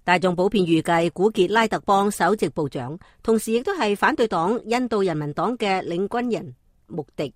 大眾普遍預計古傑拉特邦首席部長，同時亦都係反對黨印度人民黨嘅領軍人穆迪，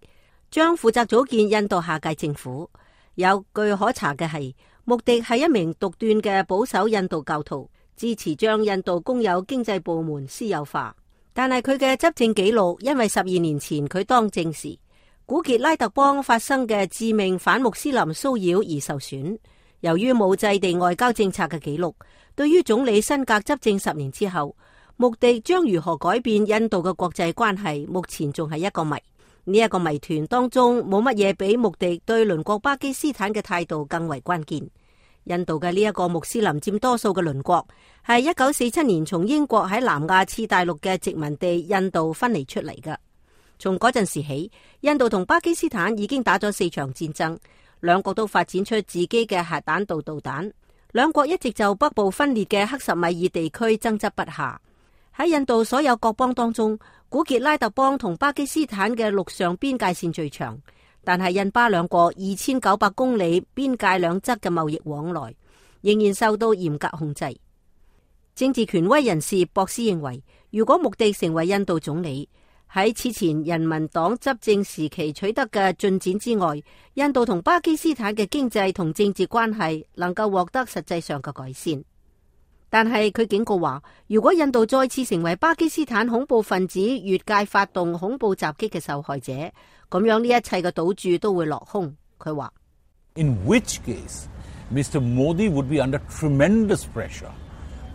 將負責組建印度下屆政府。有據可查嘅係，穆迪係一名獨斷嘅保守印度教徒，支持將印度公有經濟部門私有化。但係佢嘅執政紀錄，因為12年前佢當政時，古傑拉特邦發生嘅致命反穆斯林騷擾而受損。由於冇制定外交政策嘅記錄，對於總理辛格執政10年之後，穆迪將如何改變印度嘅國際關係，目前仲係一個謎。呢一個謎團當中冇乜嘢比穆迪對鄰國巴基斯坦嘅態度更為關鍵。印度嘅呢一個穆斯林佔多數嘅鄰國，係1947年從英國喺南亞次大陸嘅殖民地印度分離出嚟嘅。從嗰陣時起，印度同巴基斯坦已經打咗4場戰爭。兩國都發展出自己嘅核彈道導彈，兩國一直就北部分裂嘅克什米爾地區爭執不下。喺印度所有國邦當中，古傑拉特邦同巴基斯坦嘅陸上邊界線最長，但係印巴兩國2900公里邊界兩側嘅貿易往來仍然受到嚴格控制。政治權威人士博斯認為，如果穆迪成為印度總理，喺此前人民黨執政時期取得嘅進展之外，印度同巴基斯坦嘅經濟同政治關係能夠獲得實際上嘅改善。但係佢警告話，如果印度再次成為巴基斯坦恐怖分子越界發動恐怖襲擊嘅受害者，咁樣呢一切嘅賭注都會落空。佢話 In which case, Mr. Modi would be under tremendous pressure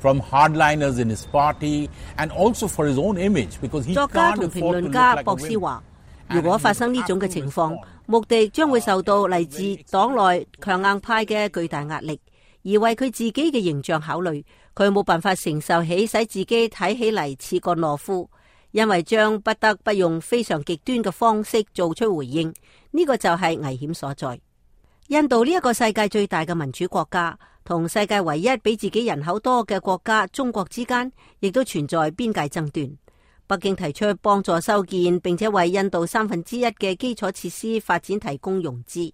from hardliners in his party and also for his own image, because he can't afford to look like a wimp. 作家同評論家博斯話，如果發生呢種嘅情況，穆迪將會受到嚟自黨內強硬派嘅巨大壓力，而為佢自己嘅形象考慮，佢冇辦法承受起使自己睇起嚟似個懦夫，因為將不得不用非常極端嘅方式做出回應，呢個就係危險所在。印度呢一個世界最大嘅民主國家，同世界唯一比自己人口多嘅國家中國之間，亦都存在邊界爭端。北京提出幫助修建並且為印度1/3嘅基礎設施發展提供融資。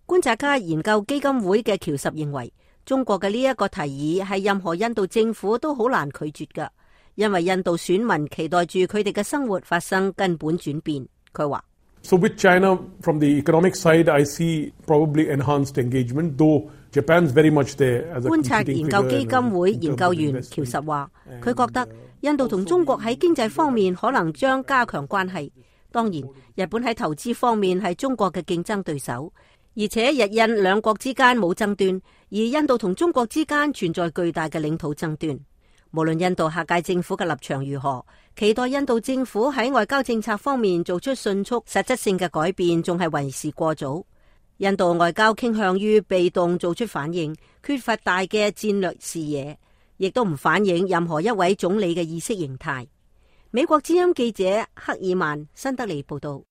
觀察家研究基金會嘅喬什認為，中國嘅呢一個提議係任何印度政府都好難拒絕㗎，因為印度選民期待住佢哋嘅生活發生根本轉變。佢話So with China, from the economic side, I see probably enhanced engagement, though Japan's very much there as a competing figure. 觀察研究基金會研究員喬什話，佢覺得印度同中國喺經濟方面可能將加強關係。當然，日本喺投資方面係中國嘅競爭對手，而且日印兩國之間冇爭端，而印度同中國之間存在巨大嘅領土爭端。無論印度下屆政府嘅立場如何，期待印度政府喺外交政策方面做出迅速實質性嘅改變，仲係為時過早。印度外交傾向於被動做出反應，缺乏大嘅戰略視野，亦都唔反映任何一位總理嘅意識形態。美國之音記者克爾曼新德里報道。